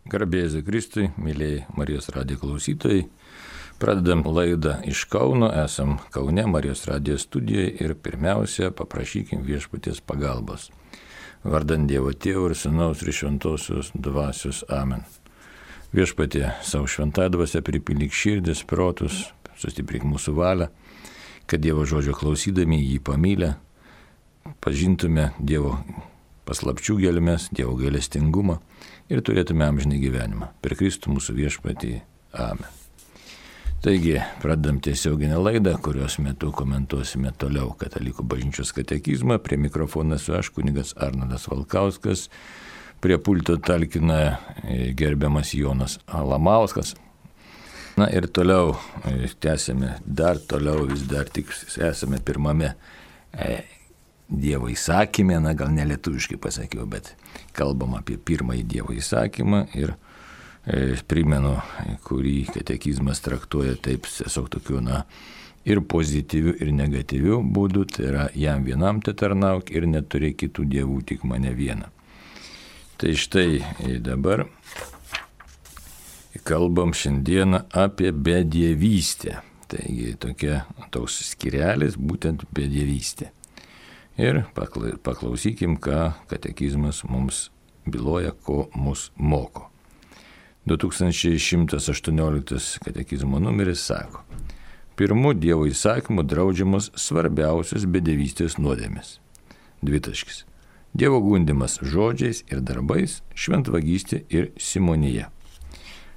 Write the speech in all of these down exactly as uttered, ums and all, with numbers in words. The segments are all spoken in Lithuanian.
Garbėsiu Kristui, mėlyjei Marijos radijo klausytojai. Pradedam laidą iš Kauno, esam Kaune Marijos radijo studijoje ir pirmiausia paprašykim viešpaties pagalbos. Vardant Dievo Tėvo ir Sūnaus ir Šventosios Dvasios. Amen. Viešpatie, savo šventąją dvasią pripildyk širdis, protus, sustiprink mūsų valią, kad Dievo žodžio klausydami jį pamylę, pažintume Dievo paslapčių gelmes, Dievo gailestingumą ir turėtume amžinį gyvenimą. Per Kristų mūsų viešpatį. Amen. Taigi, pradedam tiesioginę laidą, kurios metu komentuosime toliau Katalikų bažnyčios katekizmą. Prie mikrofono esu aš, kunigas Arnoldas Valkauskas. Prie pulto talkina gerbiamas Jonas Alamauskas. Na ir toliau tęsime, dar toliau vis dar tik esame pirmame Dievo įsakymė, na gal ne lietuviškai pasakiau, bet kalbam apie pirmąjį Dievo įsakymą ir e, primenu, kurį katekizmas traktuoja taip tiesiog tokiu, na, ir pozityviu, ir negatyviu būdu, tai yra jam vienam te tarnauk ir neturėk kitų dievų, tik mane vieną. Tai štai dabar kalbam šiandieną apie bedievystę. Taigi tokia, toks skirelis būtent bedievystė. Ir paklausykim, ką katekizmas mums byloja, ko mus moko. du tūkstančiai šimtas aštuonioliktas katekizmo numeris sako: pirmu Dievo įsakymu draudžiamos svarbiausios bedievystės nuodėmės. Dvitaškis. Dievo gundymas žodžiais ir darbais, šventvagystė ir simonija.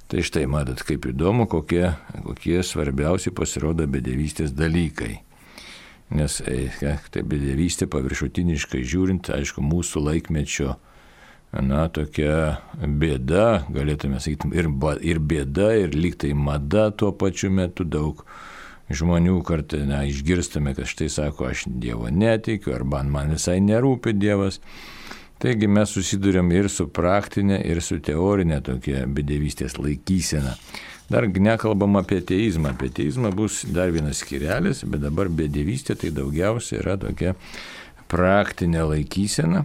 Tai štai matot, kaip įdomu, kokie, kokie svarbiausi pasirodo bedievystės dalykai. Nes tai bedievystė paviršutiniškai žiūrint, aišku, mūsų laikmečio, na, tokia bėda, galėtume sakyti, ir, ir bėda, ir lyg tai mada tuo pačiu metu. Daug žmonių kartais, na, išgirstame, kad štai sako, aš Dievo netikiu, arba man visai nerūpi Dievas. Taigi mes susidurėm ir su praktinė, ir su teorinė tokia bedievystės laikysena. Dar nekalbam apie ateizmą. Apie ateizmą bus dar vienas skirelis, bet dabar bedievystė tai daugiausia yra tokia praktinė laikysena,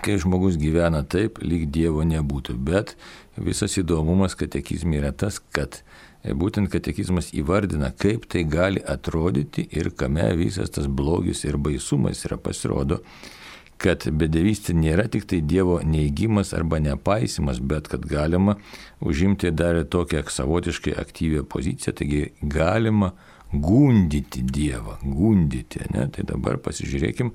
kai žmogus gyvena taip, lyg Dievo nebūtų. Bet visas įdomumas katekizme yra tas, kad būtent katekizmas įvardina, kaip tai gali atrodyti ir kame visas tas blogis ir baisumas yra. Pasirodo, kad bedievystė nėra tik tai Dievo neigimas arba nepaisimas, bet kad galima užimti dar tokią savotiškai aktyvią poziciją, taigi galima gundyti Dievą, gundyti, ne? Tai dabar pasižiūrėkim,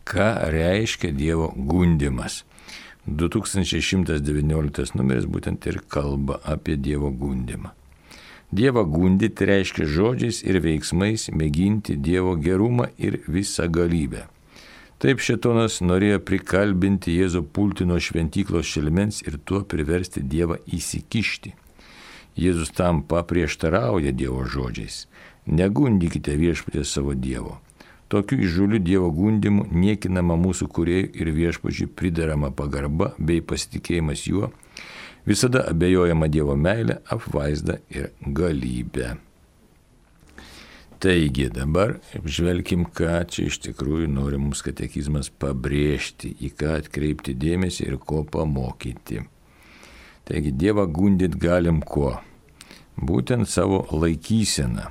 ką reiškia Dievo gundymas. du tūkstančiai šimtas devynioliktas numeris būtent ir kalba apie Dievo gundymą. Dievą gundyti reiškia žodžiais ir veiksmais mėginti Dievo gerumą ir visą galybę. Taip šėtonas norėjo prikalbinti Jėzų pulti nuo šventyklos šelmens ir tuo priversti Dievą įsikišti. Jėzus tam paprieštarauja Dievo žodžiais: negundykite viešpaties savo Dievo. Tokiu įžūliu Dievo gundymu niekinama mūsų kūrėjų ir viešpačiui priderama pagarba bei pasitikėjimas juo, visada abejojama Dievo meilė, apvaizda ir galybė. Taigi dabar žvelkim, ką čia iš tikrųjų nori mums katekizmas pabrėžti, į ką atkreipti dėmesį ir ko pamokyti. Taigi Dievą gundyti galim kuo? Būtent savo laikyseną.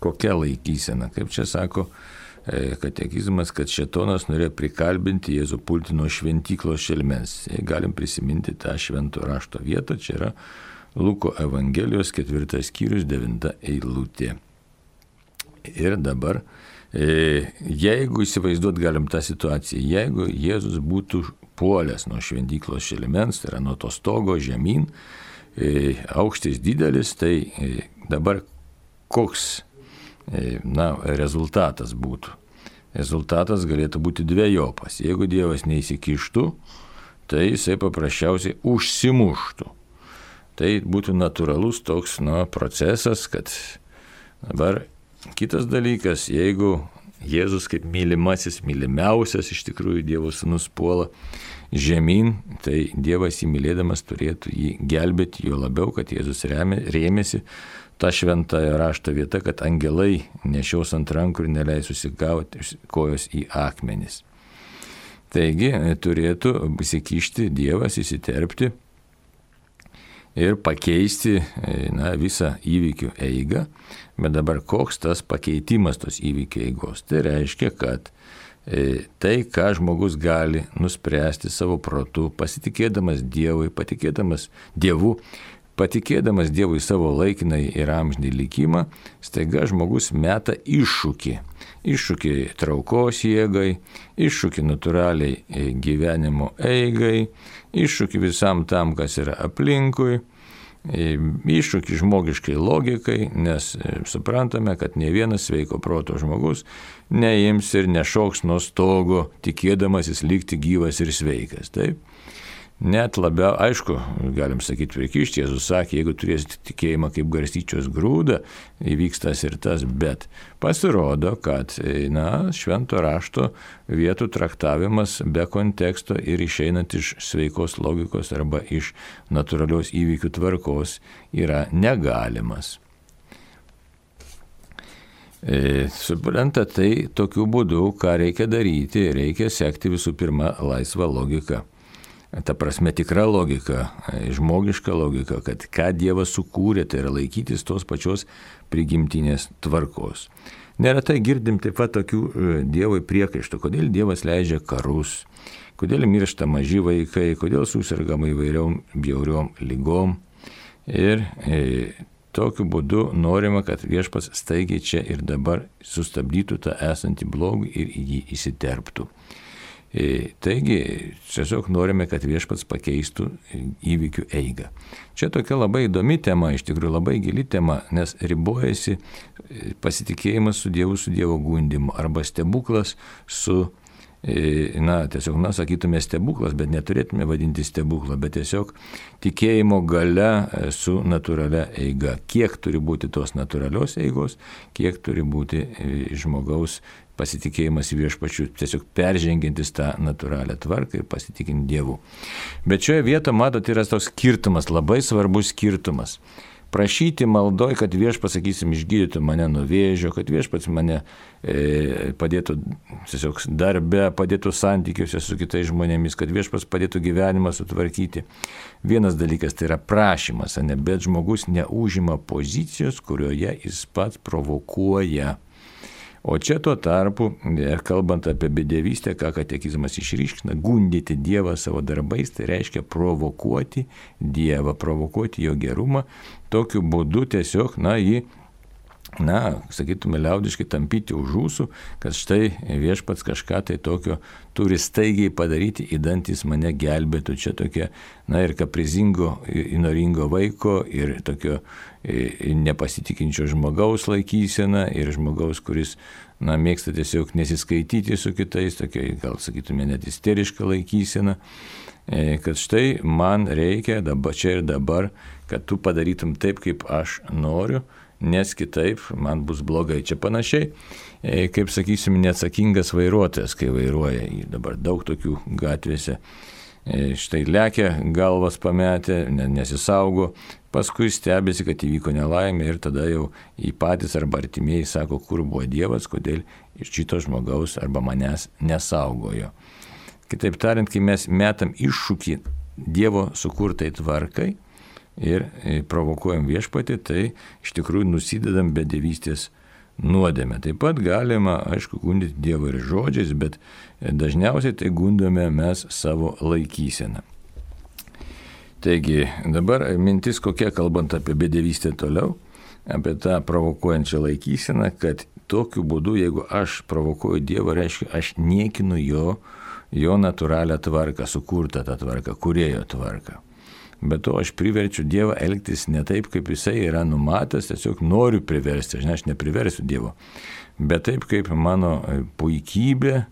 Kokia laikysena? Kaip čia sako katekizmas, kad šėtonas norėjo prikalbinti Jėzų pulti nuo šventyklos šelmens. Galim prisiminti tą švento rašto vietą, čia yra Luko Evangelijos ketvirtas skyrius, devinta eilutė. Ir dabar, jeigu įsivaizduot galim tą situaciją, jeigu Jėzus būtų puolęs nuo šventyklos šelmens, tai yra nuo to stogo žemyn, aukštis didelis, tai dabar koks, na, rezultatas būtų? Rezultatas galėtų būti dvejopas. Jeigu Dievas neįsikištų, tai jisai paprasčiausiai užsimuštų. Tai būtų natūralus toks, na, procesas, kad dabar kitas dalykas, jeigu Jėzus kaip mylimasis, mylimiausias iš tikrųjų Dievo sūnus puola žemyn, tai Dievas jį mylėdamas turėtų jį gelbėti, jo labiau, kad Jėzus rėmėsi tą šventąją rašto vietą, kad angelai nešiaus ant rankų ir neleis susigauti kojos į akmenis. Taigi turėtų įsikišti Dievas, įsiterpti ir pakeisti na, visą įvykių eigą. Bet dabar koks tas pakeitimas tos įvykių eigos? Tai reiškia, kad tai, ką žmogus gali nuspręsti savo protu, pasitikėdamas Dievui, patikėdamas Dievu, patikėdamas Dievui savo laikinai ir amžinį likimą, staiga žmogus meta iššūkį. Iššūkį traukos jėgai, iššūkį natūraliai gyvenimo eigai, iššūkį visam tam, kas yra aplinkui, iššūkį žmogiškai logikai, nes suprantame, kad ne vienas sveiko proto žmogus neims ir nešoks nuo stogo, tikėdamasis likti gyvas ir sveikas. Taip? Net labiau, aišku, galim sakyti, prikišti, Jėzus sakė, jeigu turėsite tikėjimą kaip garstyčios grūdą, įvyks tas ir tas, bet pasirodo, kad na, švento rašto vietų traktavimas be konteksto ir išeinant iš sveikos logikos arba iš natūralios įvykių tvarkos yra negalimas. E, supranta, tai tokiu būdu, ką reikia daryti, reikia sekti visų pirma laisvą logiką. Ta prasme tikra logika, žmogiška logika, kad ką Dievas sukūrė, tai yra laikytis tos pačios prigimtinės tvarkos. Neretai girdim taip pat tokių Dievui priekaištų, kodėl Dievas leidžia karus, kodėl miršta maži vaikai, kodėl susirgama įvairiom bjauriom lygom. Ir e, tokiu būdu norima, kad Viešpats staigiai čia ir dabar sustabdytų tą esantį blogį ir į jį įsiterptų. Taigi, tiesiog norime, kad Viešpats pakeistų įvykių eigą. Čia tokia labai įdomi tema, iš tikrųjų labai gili tema, nes ribojasi pasitikėjimas su Dievu, su Dievo gundymu, arba stebuklas su, na, tiesiog, na, sakytume stebuklas, bet neturėtume vadinti stebuklą, bet tiesiog tikėjimo galia su natūralia eiga. Kiek turi būti tos natūralios eigos, kiek turi būti žmogaus pasitikėjimas į Viešpačiu, tiesiog peržengiantis tą natūralią tvarką ir pasitikint Dievu. Bet šioje vietoje, matot, yra toks skirtumas, labai svarbus skirtumas. Prašyti maldoj, kad Viešpats, sakysim, išgydytų mane nuo vėžio, kad Viešpats mane e, padėtų tiesiog darbe, padėtų santykiuose su kitais žmonėmis, kad Viešpats padėtų gyvenimą sutvarkyti. Vienas dalykas tai yra prašymas, ne, bet žmogus neužima pozicijos, kurioje jis pats provokuoja. O čia tuo tarpu, kalbant apie bedevystę, ką katekizmas išryškina, gundyti Dievą savo darbais, tai reiškia provokuoti Dievą, provokuoti jo gerumą, tokiu būdu tiesiog, na, jį, na, sakytume, liaudiškai tampyti už ūsų, kad štai Viešpats kažką tai tokio turi staigiai padaryti, idant jis mane gelbėtų. Čia tokia, na, ir kaprizingo, įnoringo vaiko, ir tokio nepasitikinčio žmogaus laikysena, ir žmogaus, kuris, na, mėgsta tiesiog nesiskaityti su kitais, tokia, gal sakytume, net isteriška laikysena, kad štai man reikia dabar, čia ir dabar, kad tu padarytum taip, kaip aš noriu, nes kitaip man bus blogai. Čia panašiai, kaip, sakysim, neatsakingas vairuotojas, kai vairuoja, dabar daug tokių gatvėse, štai lekia galvas pametę, nesisaugo, paskui stebėsi, kad įvyko nelaimė ir tada jau į patys arba artimieji sako, kur buvo Dievas, kodėl iš šito žmogaus arba manęs nesaugojo. Kitaip tariant, kai mes metam iššūkį Dievo sukurtai tvarkai ir provokuojam Viešpatį, tai iš tikrųjų nusidedam bedevystės nuodėmę. Taip pat galima, aišku, gundyti Dievą ir žodžiais, bet dažniausiai tai gundome mes savo laikyseną. Taigi, dabar mintis kokia, kalbant apie bedevystę toliau, apie tą provokuojančią laikyseną, kad tokiu būdu, jeigu aš provokuoju Dievą, reiškia, aš niekinu jo, jo natūralią tvarką, sukurtą tą tvarką, kūrėjo tvarką. Bet to aš priverčiu Dievą elgtis ne taip, kaip jisai yra numatęs, tiesiog noriu priversti, aš, ne, aš nepriversiu Dievo, bet taip, kaip mano puikybė,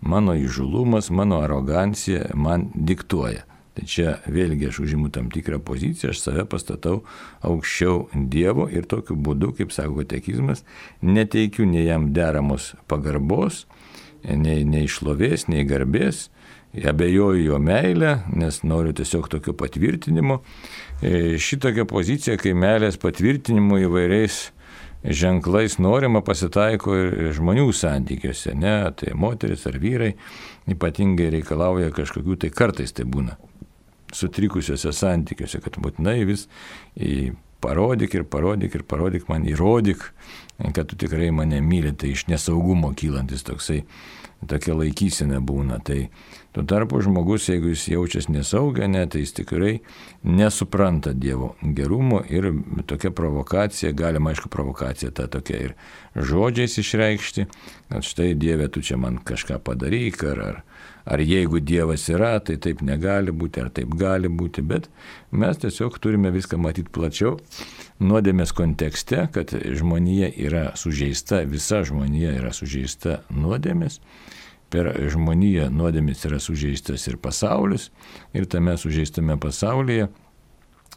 mano įžulumas, mano arogancija man diktuoja. Tai čia vėlgi aš užimu tam tikrą poziciją, aš save pastatau aukščiau Dievo ir tokiu būdu, kaip sako katekizmas, neteikiu nei jam deramos pagarbos, nei, nei šlovės, nei garbės, abejoju jo meilę, nes noriu tiesiog tokio patvirtinimo. Šitokia pozicija, kai meilės patvirtinimo įvairiais ženklais norima, pasitaiko ir žmonių santykiuose, ne, tai moteris ar vyrai ypatingai reikalauja kažkokių, tai kartais tai būna sutrikusiuose santykiuose, kad būtinai vis parodyk ir parodyk ir parodyk man, įrodyk, kad tu tikrai mane myli, tai iš nesaugumo kylantis toksai, tokia laikysena būna. Tai tuo tarpu žmogus, jeigu jis jaučiasi nesaugia, ne, tai jis tikrai nesupranta Dievo gerumo ir tokia provokacija, galima aišku provokacija ta tokia ir žodžiais išreikšti, kad štai Dieve, tu čia man kažką padaryk, ar, ar, ar jeigu Dievas yra, tai taip negali būti, ar taip gali būti, bet mes tiesiog turime viską matyti plačiau, nuodėmės kontekste, kad žmonija yra sužeista, visa žmonija yra sužeista nuodėmės, per žmoniją nuodėmės yra sužeistas ir pasaulis, ir tame sužeistame pasaulyje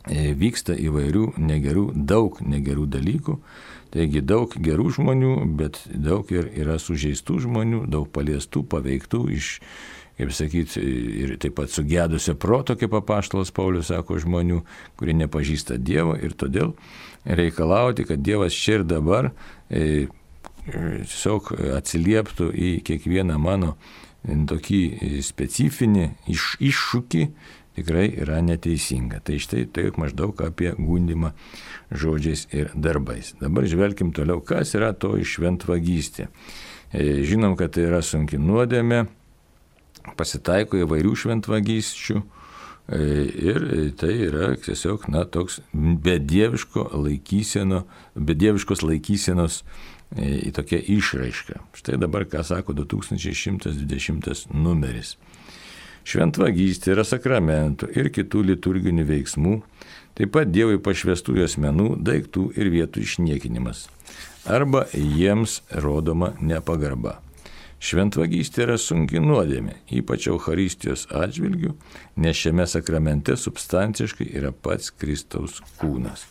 vyksta įvairių negerų, daug negerų dalykų, taigi daug gerų žmonių, bet daug ir yra sužeistų žmonių, daug paliestų, paveiktų iš, kaip sakyti, ir taip pat sugedusio proto, kaip apaštalas Paulius sako, žmonių, kurie nepažįsta Dievo, ir todėl reikalauti, kad Dievas čia ir dabar e, tiesiog atsilieptų į kiekvieną mano tokį specifinį iš, iššūkį, tikrai yra neteisinga. Tai štai taip maždaug apie gundymą žodžiais ir darbais. Dabar žvelkim toliau, kas yra to šventvagystė. E, žinom, kad tai yra sunki nuodėmė, pasitaiko įvairių šventvagysčių e, ir tai yra tiesiog, na, toks bedieviško laikyseno, bedieviškos laikysenos į tokią išraišką. Štai dabar, ką sako du tūkstančiai šimtas dvidešimtas numeris. Šventvagystė yra sakramentų ir kitų liturginių veiksmų, taip pat Dievui pašvestųjų asmenų, daiktų ir vietų išniekinimas, arba jiems rodoma nepagarba. Šventvagystė yra sunki nuodėmė, ypač Eucharistijos atžvilgių, nes šiame sakramente substanciškai yra pats Kristaus kūnas.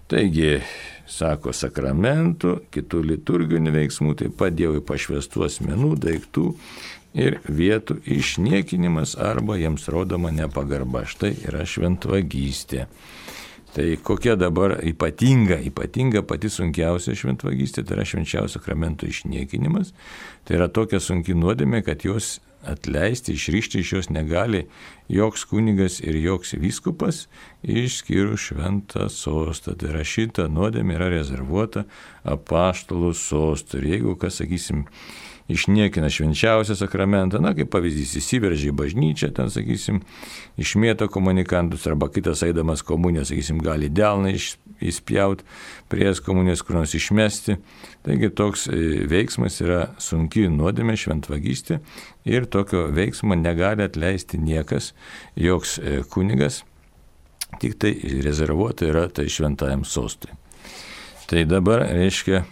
Taigi, sako, sakramentų, kitų liturginių veiksmų, taip pat Dievui pašvestų asmenų, daiktų ir vietų išniekinimas arba jiems rodoma nepagarba. Štai yra šventvagystė. Tai kokia dabar ypatinga, ypatinga pati sunkiausia šventvagystė, tai yra švenčiausio sakramento išniekinimas. Tai yra tokia sunki nuodėmė, kad jos atleisti, išrišti iš jos negali joks kunigas ir joks vyskupas, išskyrus šventą sostą. Tai yra šita nuodėmė yra rezervuota apaštalų sostui. Ir jeigu, kas, sakysim, išniekina švenčiausią sakramentą, na, kaip pavyzdys, įsiveržia į bažnyčią, ten, sakysim, išmėto komunikantus, arba kitas eidamas komuniją, sakysim, gali delną įspjauti, prie komunijos kur nors išmesti. Taigi toks veiksmas yra sunki nuodėmė, šventvagystė, ir tokio veiksmo negali atleisti niekas, joks kunigas, tik tai rezervuota yra tai šventajam sostui. Tai dabar, reiškia,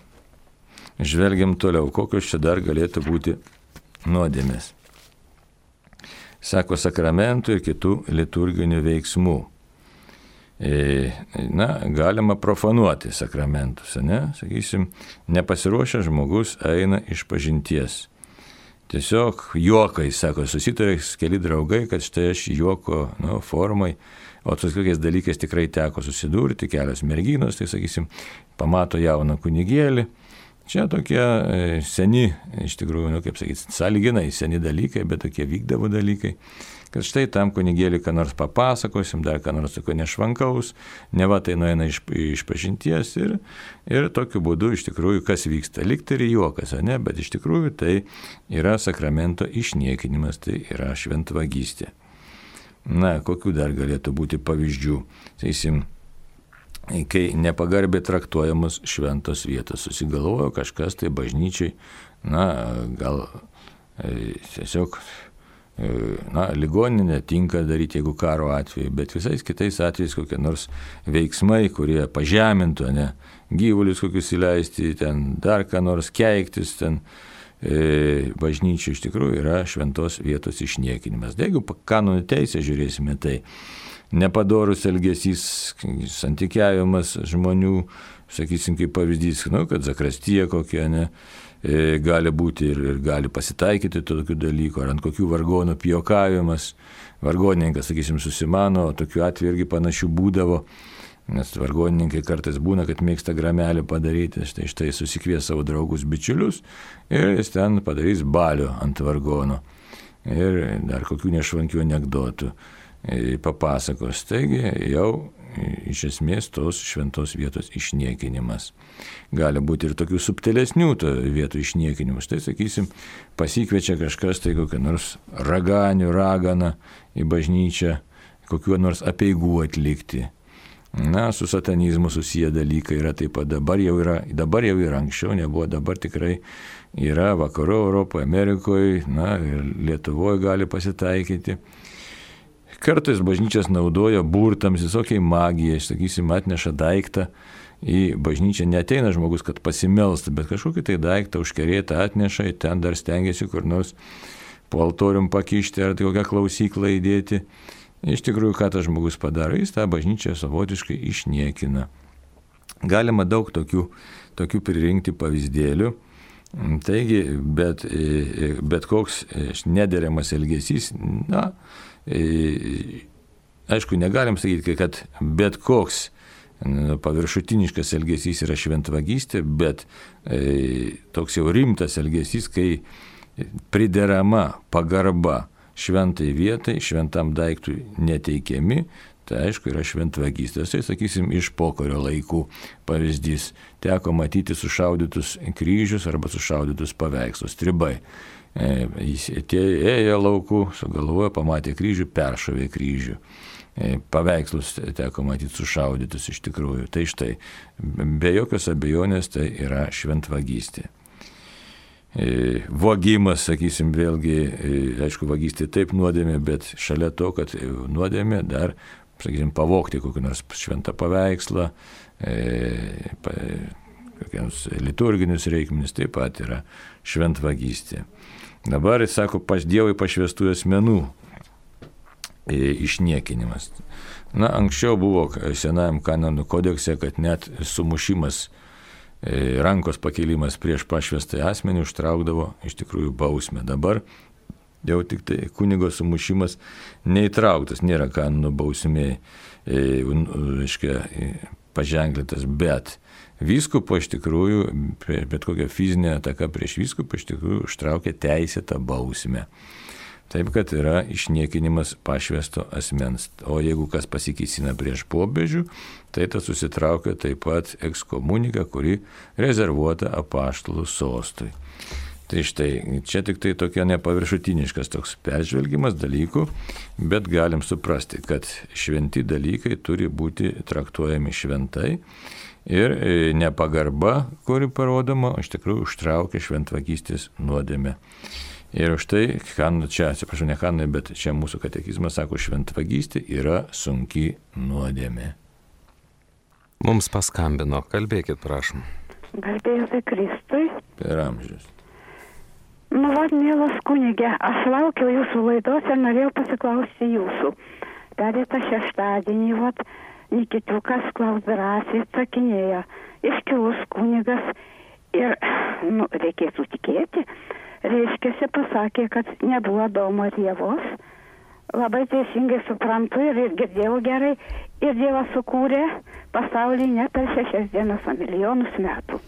žvelgiam toliau, kokios čia dar galėtų būti nuodėmės. Sako, sakramentų ir kitų liturginių veiksmų. E, na, galima profanuoti sakramentus, ne? Sakysim, nepasiruošęs žmogus eina iš pažinties. Tiesiog juokai, sako, susitarė keli draugai, kad štai aš juoko, nu, formai, o tos kokiais dalykais tikrai teko susidurti, kelios merginos, tai sakysim, pamato jauną kunigėlį. Čia tokie seni, iš tikrųjų, nu, kaip sakyti, sąlyginai seni dalykai, bet tokie vykdavo dalykai, kad štai tam kunigėlį ką nors papasakosim, dar ką nors tokio nešvankaus, neva tai nueina iš, iš pažinties ir, ir tokiu būdu iš tikrųjų kas vyksta. Likti ir juokas, ne, bet iš tikrųjų tai yra sakramento išniekinimas, tai yra šventvagystė. Na, kokių dar galėtų būti pavyzdžių? Sakysim, kai nepagarbiai traktuojamos šventos vietos. Susigalvojo kažkas tai bažnyčiai, na, gal e, tiesiog, e, na, ligoninė tinka daryti, jeigu karo atveju, bet visais kitais atvejais kokie nors veiksmai, kurie pažemintų, ne, gyvulius kokius įleisti, ten dar ką nors keiktis, ten e, bažnyčiai iš tikrųjų yra šventos vietos išniekinimas. Jeigu kanonų teisę žiūrėsime, tai nepadorus elgesys, santykiavimas žmonių, sakysim, kaip pavyzdys, nu, kad zakrastija kokia, ne, e, gali būti ir, ir gali pasitaikyti tokių dalykų, ar ant kokių vargonų pijokavimas, vargonininkas, sakysim, susimano, o tokių atveju irgi panašių būdavo, nes vargonininkai kartais būna, kad mėgsta gramelį padaryti, štai štai susikvies savo draugus bičiulius ir jis ten padarys balio ant vargono ir dar kokių nešvankių anekdotų. papasakos. Taigi jau iš esmės tos šventos vietos išniekinimas. Gali būti ir tokių subtilesnių vietų išniekinimus. Tai sakysim, pasikviečia kažkas, tai kokią nors raganių, raganą į bažnyčią, kokiuo nors apeigų atlikti. Na, su satanizmu susiję dalykai yra taip pat dabar jau yra, dabar jau yra, anksčiau nebuvo, dabar tikrai yra vakarų Europoje, Amerikoje, na ir Lietuvoje gali pasitaikyti. Kartais bažnyčias naudoja burtams, visokiai magijai, sakysim, atneša daiktą į bažnyčią, neteina žmogus, kad pasimelstų, bet kažkokį tai daiktą užkerėtą atneša, ten dar stengiasi kur nors po altorium pakišti ar tai kokią klausyklą įdėti. Iš tikrųjų, ką tas žmogus padaro, jis tą bažnyčią savotiškai išniekina. Galima daug tokių, tokių pririnkti pavyzdėlių. Taigi, bet, bet koks nederamas elgesys, na, aišku, negalim sakyti, kad bet koks paviršutiniškas elgesys yra šventvagystė, bet toks jau rimtas elgesys, kai priderama pagarba šventai vietai, šventam daiktui neteikiami, tai aišku yra šventvagystės. Tai sakysim, iš pokario laikų pavyzdys. Teko matyti sušaudytus kryžius arba sušaudytus paveikslus, stribai. E, jis ėjo laukų, sugalvojo, pamatė kryžių, peršovė kryžių. E, paveikslus teko matyti sušaudytus iš tikrųjų. Tai štai, be jokios abejonės tai yra šventvagystė. Vogimas, sakysim, vėlgi, aišku, vagystė taip nuodėmė, bet šalia to, kad nuodėmė dar, sakysim, pavogti kokį nors šventą paveikslą, e, pa, kokiams liturginius reikmenis, taip pat yra šventvagystė. Dabar, jis sako, pas Dievui pašvestų asmenų e, išniekinimas. Na, anksčiau buvo Senajam kanonų kodekse, kad net sumušimas, rankos pakėlimas prieš pašvestąjį asmenį užtraukdavo iš tikrųjų bausmę. Dabar jau tik tai kunigo sumušimas neįtrauktas, nėra kanonų bausmė, reiškia, paženklintas, bet vyskupo iš tikrųjų, bet kokia fizinė ataka prieš vyskupą iš tikrųjų užtraukia teisėtą bausmę. Taip, kad yra išniekinimas pašvesto asmens. O jeigu kas pasikėsina prieš popiežių, tai tas susitraukia taip pat ekskomunika, kuri rezervuota apaštalų sostui. Tai štai, čia tik tai tokia nepaviršutiniškas toks peržvelgimas dalykų, bet galim suprasti, kad šventi dalykai turi būti traktuojami šventai ir nepagarba, kuri parodoma, iš tikrųjų užtraukia šventvagystės nuodėmę. Ir už tai, čia, atsiprašau, ne kanonai, bet čia mūsų katekizmas sako, šventvagystė yra sunki nuodėmė. Mums paskambino, kalbėkit, prašom. Garbėjus Kristui. Per amžius. Nu, vad, mielas kunigė, aš laukiau jūsų laidos ir norėjau pasiklausti jūsų. Pereitą šeštadienį, vad, Nikitukas Klaus drąsiai atsakinėjo, iškilus kunigas ir, nu, reikėtų tikėti, reiškiasi pasakė, kad nebuvo Adomo ir Ievos. Labai teisingai suprantu ir, ir girdėjau gerai. Ir Dievas sukūrė pasaulį ne per šešias dienas, o milijonus metų.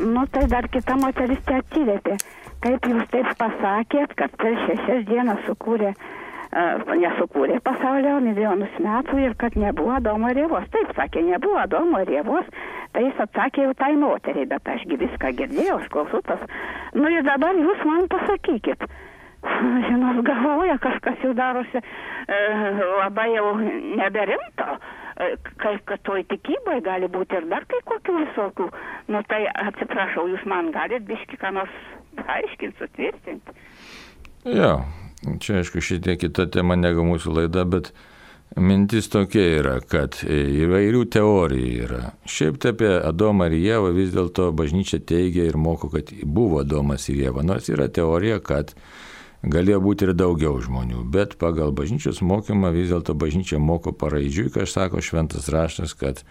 Nu, tai dar kita moteris te atsiliepė. Kaip jūs taip pasakėt, kad per šešias dienas sukūrė, uh, nesukūrė pasaulį, o milijonus metų ir kad nebuvo Adomo ir Ievos. Taip sakė, nebuvo Adomo ir Ievos. Tai jis atsakė jau tai moteriai, bet ašgi viską girdėjau, aš klausau tas. Nu ir dabar jūs man pasakykit. Žinot, galvoja, kažkas jau darosi e, labai jau neberimto, e, kaip kad toj tikybai gali būti ir dar kai kokių visokių. Nu tai atsiprašau, jūs man galit biški ką nors paaiškinti, sutvirtinti. Jo, čia aišku šitie kita tema negu mūsų laida, bet mintis tokia yra, kad įvairių teorijų yra. Šiaip tai apie Adomą ir Ievą vis dėlto bažnyčia teigia ir moko, kad buvo Adomas ir Ieva. Nors yra teorija, kad galėjo būti ir daugiau žmonių, bet pagal bažnyčios mokymą vis dėlto bažnyčia moko paraidžiui, ką sako šventas raštas, kad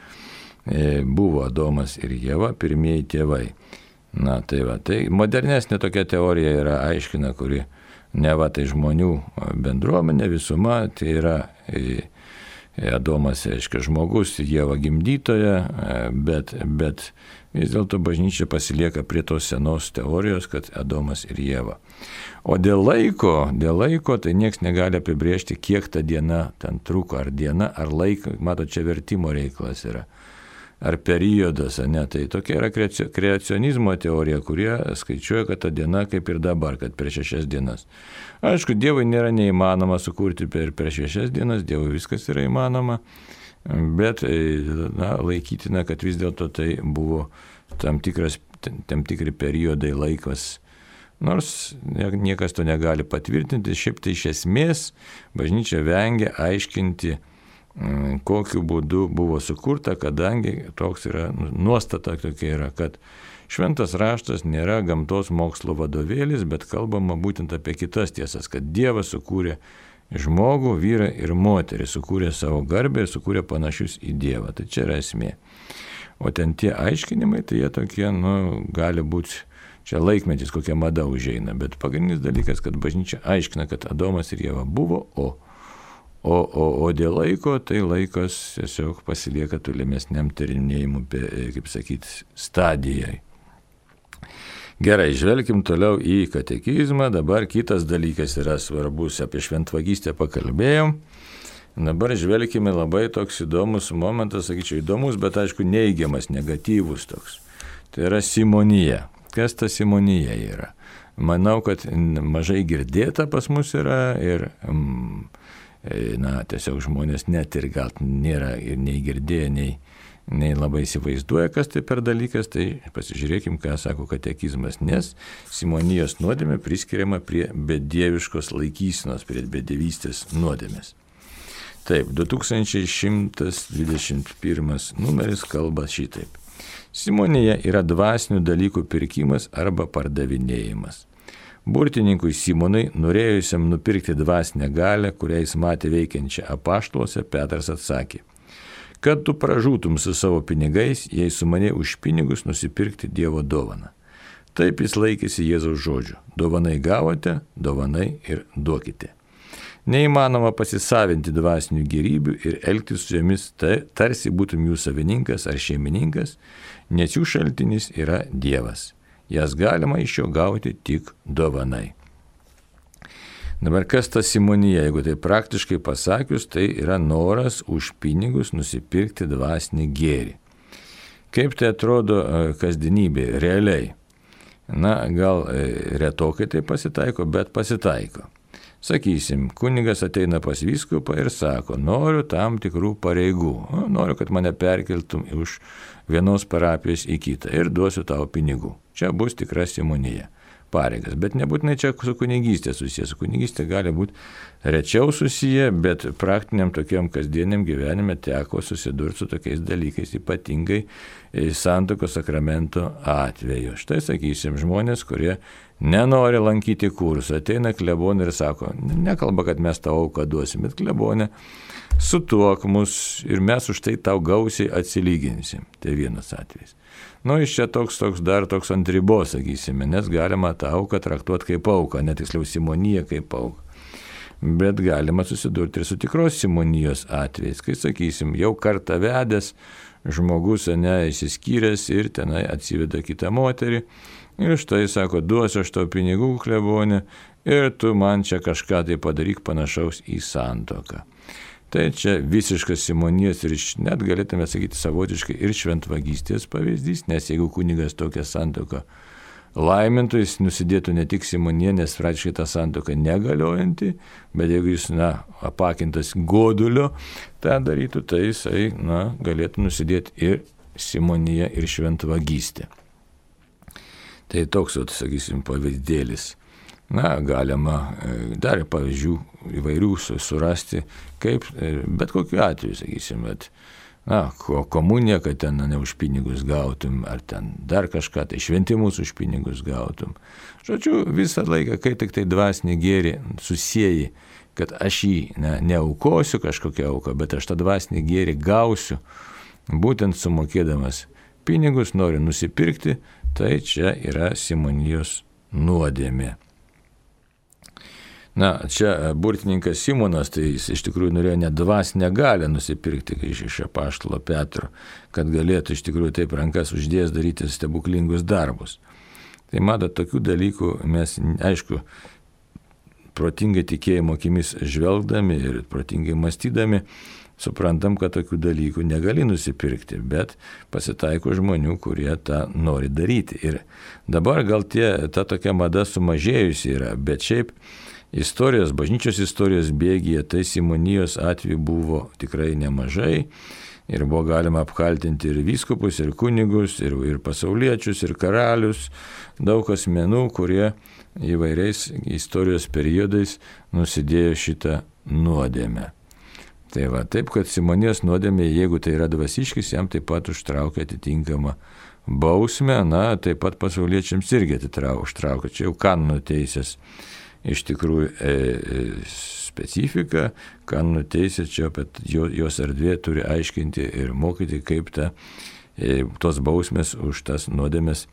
buvo Adomas ir Ieva pirmieji tėvai. Na tai va, tai modernesnė tokia teorija yra aiškina, kuri ne va tai žmonių bendruomenė, visuma, tai yra Adomas, reiškia, žmogus, Ieva gimdytoja, bet, bet vis dėlto bažnyčia pasilieka prie tos senos teorijos, kad Adomas ir Ieva. O dėl laiko, dėl laiko, tai nieks negali apibrėžti, kiek ta diena ten truko, ar diena, ar laiko, mato, čia vertimo reikalas yra, ar periodas, ne, tai tokia yra kreacionizmo teorija, kurie skaičiuoja, kad ta diena kaip ir dabar, kad per šešias dienas. Aišku, Dievui nėra neįmanoma sukurti per, per šešias dienas, Dievui viskas yra įmanoma, bet na, laikytina, kad vis dėlto tai buvo tam, tikras, tam tikri periodai laikas. Nors niekas to negali patvirtinti, šiaip tai iš esmės bažnyčia vengia aiškinti, kokiu būdu buvo sukurta, kadangi toks yra, nuostata tokia yra, kad šventas raštas nėra gamtos mokslo vadovėlis, bet kalbama būtent apie kitas tiesas, kad Dievas sukūrė žmogų, vyrą ir moterį, sukūrė savo garbę ir sukūrė panašius į Dievą. Tai čia yra esmė. O ten tie aiškinimai, tai jie tokie, nu, gali būti, čia laikmetis kokia mada užeina, bet pagrindinis dalykas, kad bažnyčia aiškina, kad Adomas ir Ieva buvo, o O, o, o dėl laiko, tai laikas tiesiog pasilieka tolimesniam tyrinėjimui, kaip sakyti, stadijai. Gerai, žvelkim toliau į katekizmą. Dabar kitas dalykas yra svarbus, apie šventvagystę pakalbėjom. Dabar žvelkime labai toks įdomus momentas, sakyčiau, įdomus, bet aišku neigiamas, negatyvus toks. Tai yra simonija. Kas ta simonija yra? Manau, kad mažai girdėta pas mus yra ir... Mm, na, tiesiog žmonės net ir gal nėra ir nei girdėję, nei, nei labai įsivaizduoja, kas tai per dalykas, tai pasižiūrėkim, ką sako katekizmas, nes simonijos nuodėmė priskiriama prie bedieviškos laikysenos, prie bedievystės nuodėmės. Taip, du tūkstančiai šimtas dvidešimt pirmas numeris kalba šitaip. Simonija yra dvasinių dalykų pirkimas arba pardavinėjimas. Burtininkui Simonui, norėjusiam nupirkti dvasinę galę, kurią jis matė veikiančią apaštaluose, Petras atsakė, kad tu pražūtum su savo pinigais, jei sumanei už pinigus nusipirkti Dievo dovaną. Taip jis laikėsi Jėzaus žodžių. Dovanai gavote, dovanai ir duokite. Neįmanoma pasisavinti dvasinių gėrybių ir elgtis su jomis tarsi būtum jų savininkas ar šeimininkas, nes jų šaltinis yra Dievas. Jas galima iš jo gauti tik dovanai. Dabar kas ta simonija, jeigu tai praktiškai pasakius, tai yra noras už pinigus nusipirkti dvasinį gėrį. Kaip tai atrodo kasdienybėje, realiai? Na, gal retokai tai pasitaiko, bet pasitaiko. Sakysim, kunigas ateina pas vyskupą ir sako, noriu tam tikrų pareigų, noriu, kad mane perkeltum iš vienos parapijos į kitą ir duosiu tau pinigų. Čia bus tikra simonija, pareigas, bet nebūtinai čia su kunigystė susiję, su kunigystė gali būti rečiau susiję, bet praktiniam tokiam kasdieniam gyvenime teko susidurti su tokiais dalykais, ypatingai santuokos sakramento atveju. Štai sakysim, žmonės, kurie nenori lankyti kursų, ateina klebonė ir sako, nekalba, kad mes tau auką duosim, bet klebonė, sutuok mus ir mes už tai tau gausiai atsilyginsim. Tai vienas atvejis. Nu, iš čia toks, toks dar toks ant ribos, sakysime, nes galima tą auką traktuoti kaip auką, netiksliau simoniją kaip auką. Bet galima susidurti ir su tikros simonijos atvejais, kai, sakysim, jau kartą vedęs žmogus, ne, įsiskyręs ir tenai atsiveda kitą moterį. Ir štai sako, duosiu aš tau pinigų, klebonė, ir tu man čia kažką tai padaryk panašaus į santuoką. Tai čia visiškas simonijos ir net galėtume sakyti savotiškai ir šventvagystės pavyzdys, nes jeigu kunigas tokią santuoką laimintų, jis nusidėtų ne tik simoniją, nes praktiškai ta santuoka negaliojanti, bet jeigu jis, na, apakintas godulio tą darytų, tai jisai, na, galėtų nusidėti ir simoniją, ir šventvagystę. Tai toks, sakysim, pavyzdėlis. Na, galima dar pavyzdžių įvairių surasti, kaip, bet kokiu atveju, sakysim, bet, na, komuniją, kad ten ne už pinigus gautum, ar ten dar kažką, tai šventimus už pinigus gautum. Žodžiu, visą laiką, kai tik tai dvasinį gėrį susieji, kad aš jį ne, neaukosiu kažkokią auką, bet aš tą dvasinį gėrį gausiu, būtent sumokėdamas pinigus, noriu nusipirkti, tai čia yra simonijos nuodėmė. Na, čia burtininkas Simonas, tai jis iš tikrųjų norėjo net dvasinę galią nusipirkti iš, iš apaštalo Petro, kad galėtų iš tikrųjų taip rankas uždėjęs daryti stebuklingus darbus. Tai matot, tokių dalykų mes, aišku, protingai tikėjimo akimis žvelgdami ir protingai mąstydami, suprantam, kad tokių dalykų negali nusipirkti, bet pasitaiko žmonių, kurie tą nori daryti. Ir dabar gal tie, ta tokia mada sumažėjusi yra, bet šiaip istorijos, bažnyčios istorijos bėgyje, tai simonijos atveju buvo tikrai nemažai ir buvo galima apkaltinti ir vyskupus, ir kunigus, ir, ir pasauliečius, ir karalius, daug asmenų, kurie įvairiais istorijos periodais nusidėjo šitą nuodėmę. Tai va, taip, kad simonijos nuodėmė, jeigu tai yra dvasiškis, jam taip pat užtraukia atitinkamą bausmę, na, taip pat pasauliečiams irgi užtraukia, čia jau kanonų teisės iš tikrųjų e, e, specifika, kanonų teisė čia, bet jos erdvė turi aiškinti ir mokyti, kaip ta, e, tos bausmės už tas nuodėmės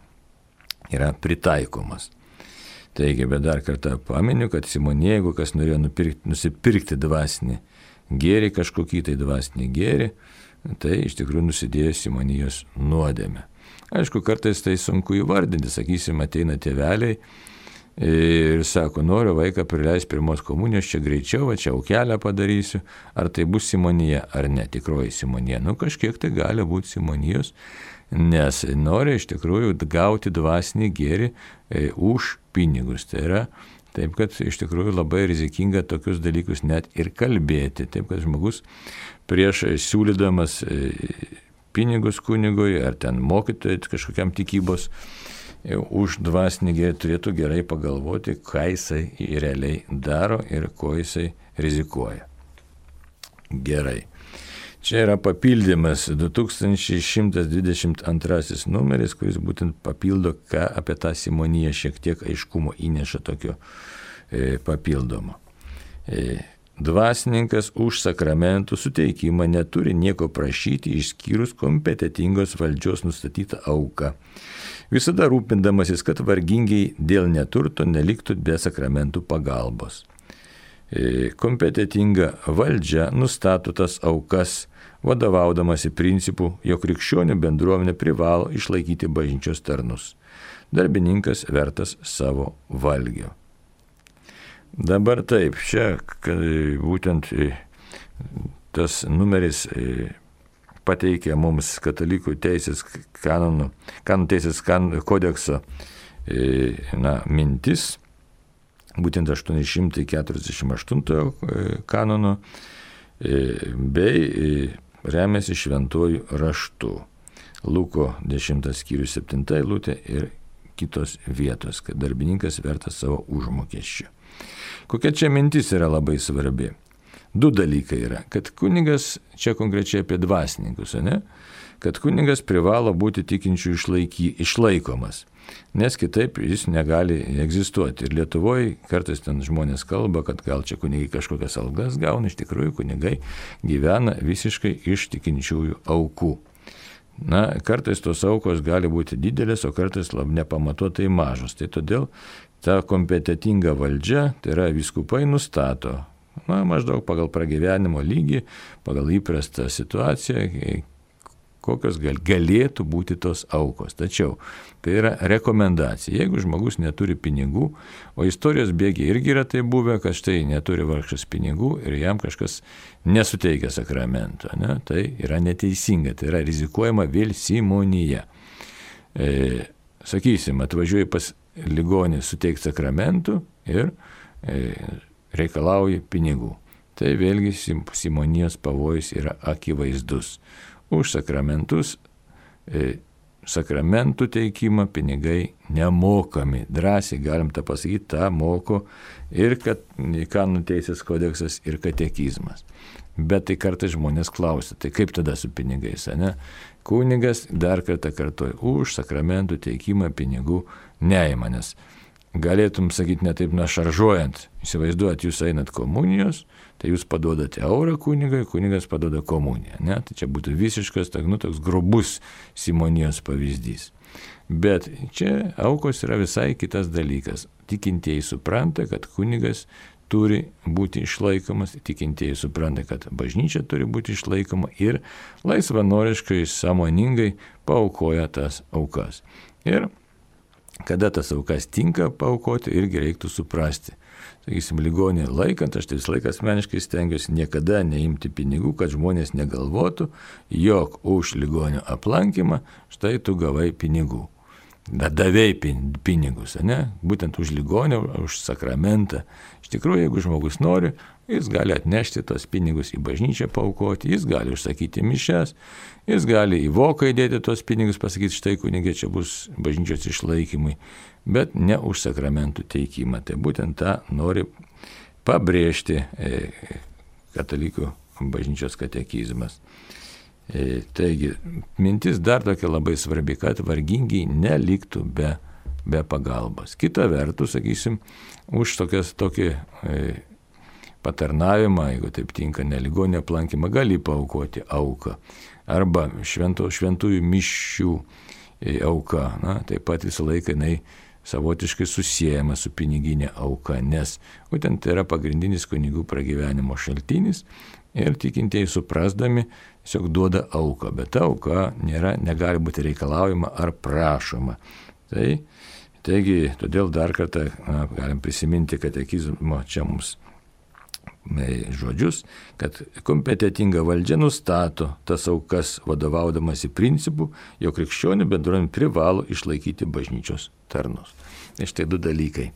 yra pritaikomas. Taigi, bet dar kartą paminiu, kad Simonija, jeigu kas norėjo nupirkti, nusipirkti dvasinį gėrį, kažkokį tai dvasinį gėrį, tai iš tikrųjų nusidėjo Simonijos nuodėmę. Aišku, kartais tai sunku įvardinti, sakysim, ateina tėveliai ir sako, noriu vaiką prileisti pirmos komunijos, čia greičiau, va, čia aukelę padarysiu, ar tai bus Simonija, ar ne, tikroji Simonija. Nu, kažkiek tai gali būti Simonijos, nes nori iš tikrųjų gauti dvasinį gėrį e, už pinigus. Tai yra taip, kad iš tikrųjų labai rizikinga tokius dalykus net ir kalbėti. Taip, kad žmogus prieš siūlydamas pinigus kunigui ar ten mokytojai kažkokiam tikybos už dvasinį gėrį turėtų gerai pagalvoti, ką jisai realiai daro ir ko jisai rizikuoja. Gerai. Čia yra papildymas du tūkstančiai šimtas dvidešimt antrasis numeris, kuris būtent papildo, ką apie tą Simoniją šiek tiek aiškumo įneša tokio e, papildomo. E, dvasininkas už sakramentų suteikimą neturi nieko prašyti išskyrus kompetitingos valdžios nustatytą auką, visada rūpindamasis, kad vargingiai dėl neturto neliktų be sakramentų pagalbos. E, kompetitinga valdžia nustato tas aukas, vadovaudamasi principu, jog krikščionių bendruomenė privalo išlaikyti bažnyčios tarnus. Darbininkas vertas savo valgio. Dabar taip, čia būtent tas numeris pateikia mums katalikų teisės kanonų, kanonų teisės kan, kodekso na, mintis, būtent aštuoni šimtai keturiasdešimt aštuntojo kanono, bei remiasi šventuoju raštu. Luko dešimtas skyrius septinta eilutė ir kitos vietos, kad darbininkas vertas savo užmokesčio. Kokia čia mintis yra labai svarbi? Du dalykai yra, kad kunigas, čia konkrečiai apie dvasininkus, ne? Kad kunigas privalo būti tikinčių išlaiky, išlaikomas, nes kitaip jis negali egzistuoti. Ir Lietuvoje kartais ten žmonės kalba, kad gal čia kunigai kažkokias algas gauna, iš tikrųjų kunigai gyvena visiškai iš tikinčiųjų aukų. Na, kartais tos aukos gali būti didelės, o kartais labai nepamatuotai mažos. Tai todėl ta kompetitinga valdžia, tai yra vyskupai nustato, na, maždaug pagal pragyvenimo lygį, pagal įprastą situaciją, kokios gal, galėtų būti tos aukos. Tačiau tai yra rekomendacija. Jeigu žmogus neturi pinigų, o istorijos bėgiai irgi yra tai buvę, kad štai neturi vargšas pinigų ir jam kažkas nesuteikia sakramento, ne? Tai yra neteisinga, tai yra rizikuojama vėl simonija. E, sakysim, atvažiuoji pas ligonį suteikti sakramentų ir e, reikalauji pinigų. Tai vėlgi simonijos pavojus yra akivaizdus. Už sakramentus, e, sakramentų teikimą pinigai nemokami. Drąsiai galim tą pasakyti, tą moko ir kad kanonų teisės kodeksas ir katekizmas. Bet tai kartais žmonės klausia, tai kaip tada su pinigais, ne? Kunigas dar kartą kartoja, už sakramentų teikimą pinigų neima, nes galėtum sakyti ne taip našaržuojant, įsivaizduojat, jūs einat komunijos, tai jūs paduodate eurą kunigai, kunigas paduoda komuniją, ne? Tai čia būtų visiškas, nu, toks grubus simonijos pavyzdys. Bet čia aukos yra visai kitas dalykas. Tikintieji supranta, kad kunigas turi būti išlaikomas, tikintieji supranta, kad bažnyčia turi būti išlaikoma ir laisvanoriškai, sąmoningai paaukoja tas aukas. Ir kada tas aukas tinka paaukoti, irgi reiktų suprasti. Sakysim, ligonį laikant, aš tai visą laiką asmeniškai stengiuosi niekada neimti pinigų, kad žmonės negalvotų, jog už ligonio aplankymą štai tu gavai pinigų. Davėjai pinigus, ne? Būtent už ligonį, už sakramentą. Iš tikrųjų, jeigu žmogus nori, jis gali atnešti tos pinigus į bažnyčią paaukoti, jis gali užsakyti mišias, jis gali į voką įdėti tos pinigus, pasakyti, štai kunigė, čia bus bažnyčios išlaikymui, bet ne už sakramentų teikimą. Tai būtent tą nori pabrėžti katalikų bažnyčios katekizmas. Taigi, mintis dar tokia labai svarbi, kad vargingiai neliktų be, be pagalbos. Kita vertus, sakysim, už tokias, tokį e, patarnavimą, jeigu taip tinka, neligonio aplankymą, gali paaukoti auką. Arba švento, šventųjų mišių e, auka. Na, taip pat visą laiką jinai savotiškai susijęma su piniginė auka, nes būtent tai yra pagrindinis kunigų pragyvenimo šaltinis ir tikintieji suprasdami tiesiog duoda auką, bet ta auka nėra, negali būti reikalaujama ar prašoma. Tai, taigi, todėl dar kartą na, galim prisiminti katekizmo čia mums žodžius, kad kompetitinga valdžia nustato tas aukas vadovaudamas į principų, jog krikščionių bendruomenė privalo išlaikyti bažnyčios tarnus. Tai štai du dalykai.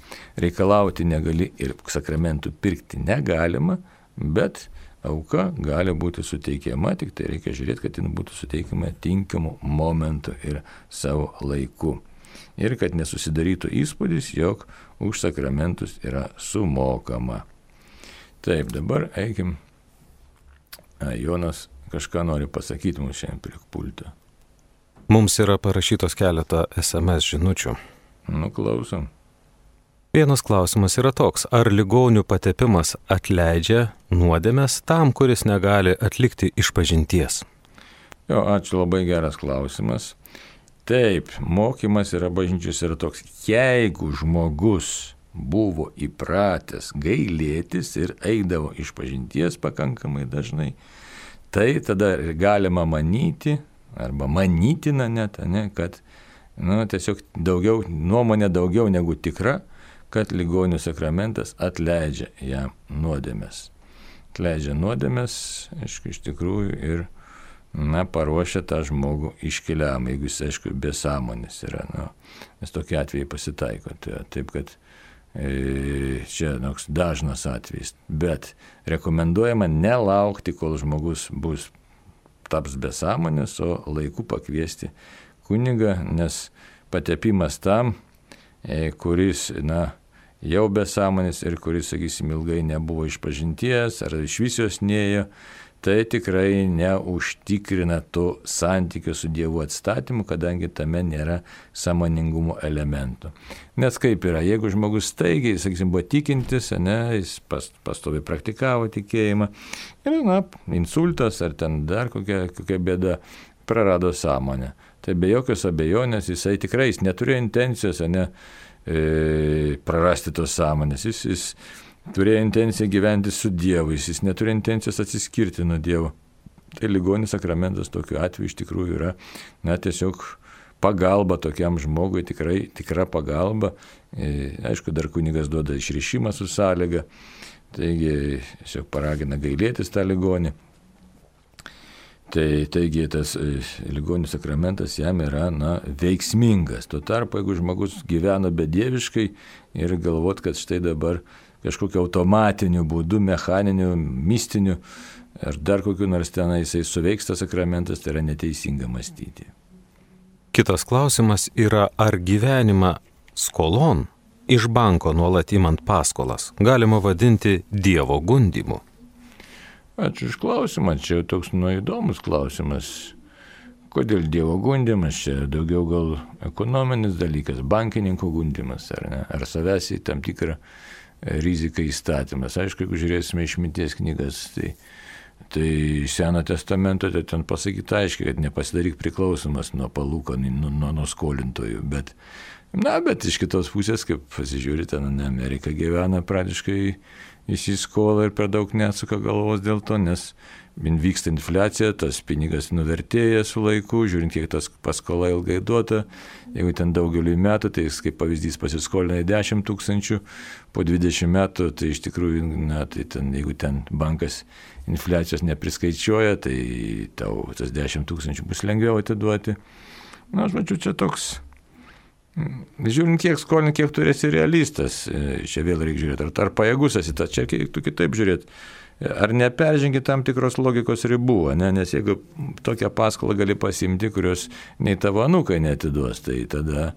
Reikalauti negali ir sakramentų pirkti negalima, bet auka gali būti suteikiama, tik tai reikia žiūrėti, kad jin būtų suteikiama tinkamu momentu ir savo laiku. Ir kad nesusidarytų įspūdis, jog už sakramentus yra sumokama. Taip, dabar eikim. A, Jonas kažką nori pasakyti mums šiandien prie pulto. Mums yra parašytos keletą es em es žinučių. Nu, klausom. Vienas klausimas yra toks, ar ligonių patepimas atleidžia nuodėmes tam, kuris negali atlikti išpažinties? Jo, ačiū, labai geras klausimas. Taip, mokymas yra bažnyčios yra toks, jeigu žmogus buvo įpratęs gailėtis ir eidavo išpažinties pakankamai dažnai, tai tada galima manyti, arba manytina net, ne, kad nu, tiesiog daugiau, nuomonė daugiau negu tikra, kad ligonių sakramentas atleidžia jam nuodėmes. Atleidžia nuodėmes, aišku, iš tikrųjų ir na, paruošia tą žmogų iškeliam, jeigu jis, aišku, be sąmonės yra. Nu, nes tokie atvejai pasitaiko. Tai, taip, kad e, čia noks dažnas atvejis. Bet rekomenduojama nelaukti, kol žmogus bus taps be sąmonės, o laiku pakviesti kunigą, nes patepimas tam, e, kuris, na, jau be sąmonės ir kuris, sakysim, ilgai nebuvo išpažinties ar iš visios nėjo, tai tikrai neužtikrina to santykio su Dievu atstatymu, kadangi tame nėra sąmoningumo elementų. Nes kaip yra, jeigu žmogus staigiai, sakysim, buvo tikintis, ne, jis pas, pastoviai praktikavo tikėjimą, ir, na, insultas ar ten dar kokia, kokia bėda, prarado sąmonę. Tai be jokios abejonės jisai tikrai jis neturėjo intencijos, ne, e, prarasti tos sąmonės. Jis, jis turėjo intenciją gyventi su Dievu, jis neturėjo intencijos atsiskirti nuo Dievo. Tai ligonis sakramentas tokiu atveju iš tikrųjų yra, na, tiesiog pagalba tokiam žmogui, tikrai tikra pagalba. E, aišku, dar kunigas duoda išrišimą su sąlyga, taigi tiesiog paragina gailėtis tą ligonį. Tai, taigi tas e, ligonių sakramentas jam yra, na, veiksmingas. Tuo tarpu, jeigu žmogus gyveno bedieviškai ir galvot, kad štai dabar kažkokiu automatiniu būdu, mechaniniu, mistiniu ar dar kokiu nors tenai jisai suveiks tas sakramentas, tai yra neteisinga mąstyti. Kitas klausimas yra, ar gyvenimą skolon iš banko nuolat imant paskolas galima vadinti Dievo gundymu? Ačiū iš klausimą, čia toks nu įdomus klausimas. Kodėl Dievo gundymas, čia daugiau gal ekonominis dalykas, bankininko gundymas, ar ne, ar savęs į tam tikrą riziką įstatymas. Aišku, jeigu žiūrėsime išminties knygas, tai Tai Seno testamento tai ten pasakyta aiškiai, kad nepasidaryk priklausomas nuo palūkanų, nuo, nuo, nuo skolintojų. Bet, na, bet iš kitos pusės, kaip pasižiūri, ten Amerika gyvena praktiškai įsiskolą ir per daug neatsuka galvos dėl to, nes vyksta infliacija, tas pinigas nuvertėja su laiku, žiūrint, kiek tas paskola ilgai duota. Jeigu ten daugeliu metų, tai kaip pavyzdys pasiskolina dešimt tūkstančių, po dvidešimt metų, tai iš tikrųjų, na, tai ten, jeigu ten bankas infliacijos nepriskaičiuoja, tai tau tas dešimt tūkstančių bus lengviau atiduoti. Na, aš mačiau, čia toks, žiūrint, kiek skolin, kiek turėsi realistas, čia vėl reikia žiūrėti, ar, ar pajėgus esi, ta, čia reiktų kitaip žiūrėti. Ar neperžengi tam tikros logikos ribų, ne? Nes jeigu tokią paskolą gali pasimti, kurios nei tavo anūkai neatiduos, tai tada,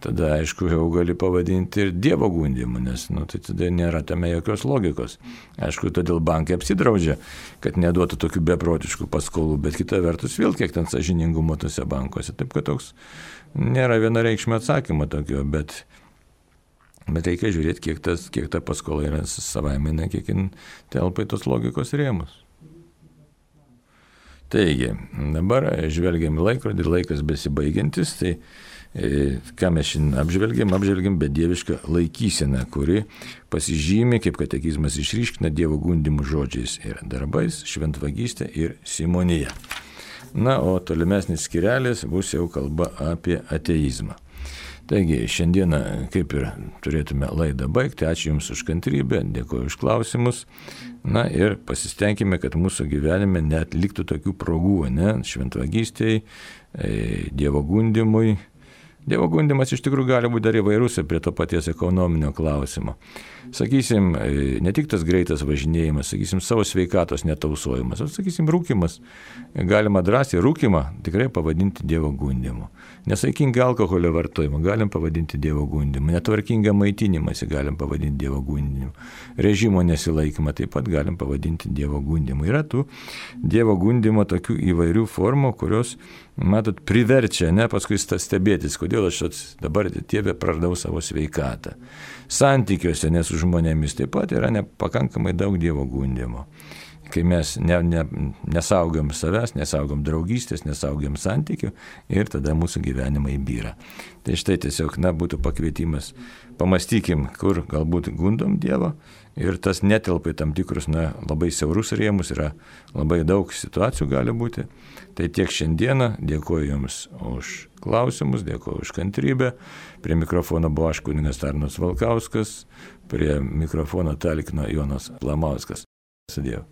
tada aišku, jau gali pavadinti ir dievo gundimu, nes nu, tai tada nėra tame jokios logikos. Aišku, todėl bankai apsidraudžia, kad neduotų tokių beprotiškų paskolų, bet kita vertus vėl kiek ten sąžiningumo tose bankuose. Taip, kad toks nėra vienareikšmio atsakymo tokio, bet Bet reikia žiūrėti, kiek, tas, kiek ta paskola yra savaime, kiek jin telpa į tos logikos rėmus. Taigi, dabar žvelgiam į laikrodį, laikas besibaigiantis, tai e, ką mes šiandien apžvelgiam, apžvelgiam bedievišką laikyseną, kuri pasižymi, kaip katekizmas išryškina, dievo gundimų žodžiais ir darbais, šventvagystė ir simonija. Na, o tolimesnis skirelis bus jau kalba apie ateizmą. Taigi, šiandieną kaip ir turėtume laidą baigti. Ačiū Jums už kantrybę, dėkoju už klausimus. Na ir pasistengime, kad mūsų gyvenime net liktų tokių progų, ne, šventvagystei, dievo gundimui. Dievo gundimas iš tikrųjų gali būti dar įvairus prie to paties ekonominio klausimo. Sakysim, ne tik tas greitas važinėjimas, sakysim, savo sveikatos netausojimas, o sakysim, rūkimas. Galima drąsiai rūkimą tikrai pavadinti dievo gundimu. Nesaikingą alkoholio vartojimą galim pavadinti dievo gundimu. Netvarkingą maitinimąsi galim pavadinti dievo gundimu. Režimo nesilaikymą taip pat galim pavadinti dievo gundimu. Yra tų dievo gundimo tokių įvairių formų, kurios, matot, priverčia, ne, paskui stebėtis, kodėl aš dabar Dieve praradau savo sveikatą. Santykiuose, ne su žmonėmis, taip pat yra nepakankamai daug dievo gundimo. Kai mes ne, ne, nesaugom savęs, nesaugom draugystės, nesaugom santykių ir tada mūsų gyvenimai byra. Tai štai tiesiog, na, būtų pakvietimas, pamastykim, kur galbūt gundom Dievą ir tas netelpa į tam tikrus, na, labai siaurus rėmus, yra labai daug situacijų gali būti. Tai tiek šiandieną, dėkoju Jums už klausimus, dėkoju už kantrybę. Prie mikrofono buvo aš, kunigas Arnas Valkauskas, prie mikrofono talkino Jonas Lamauskas. Sudėjau.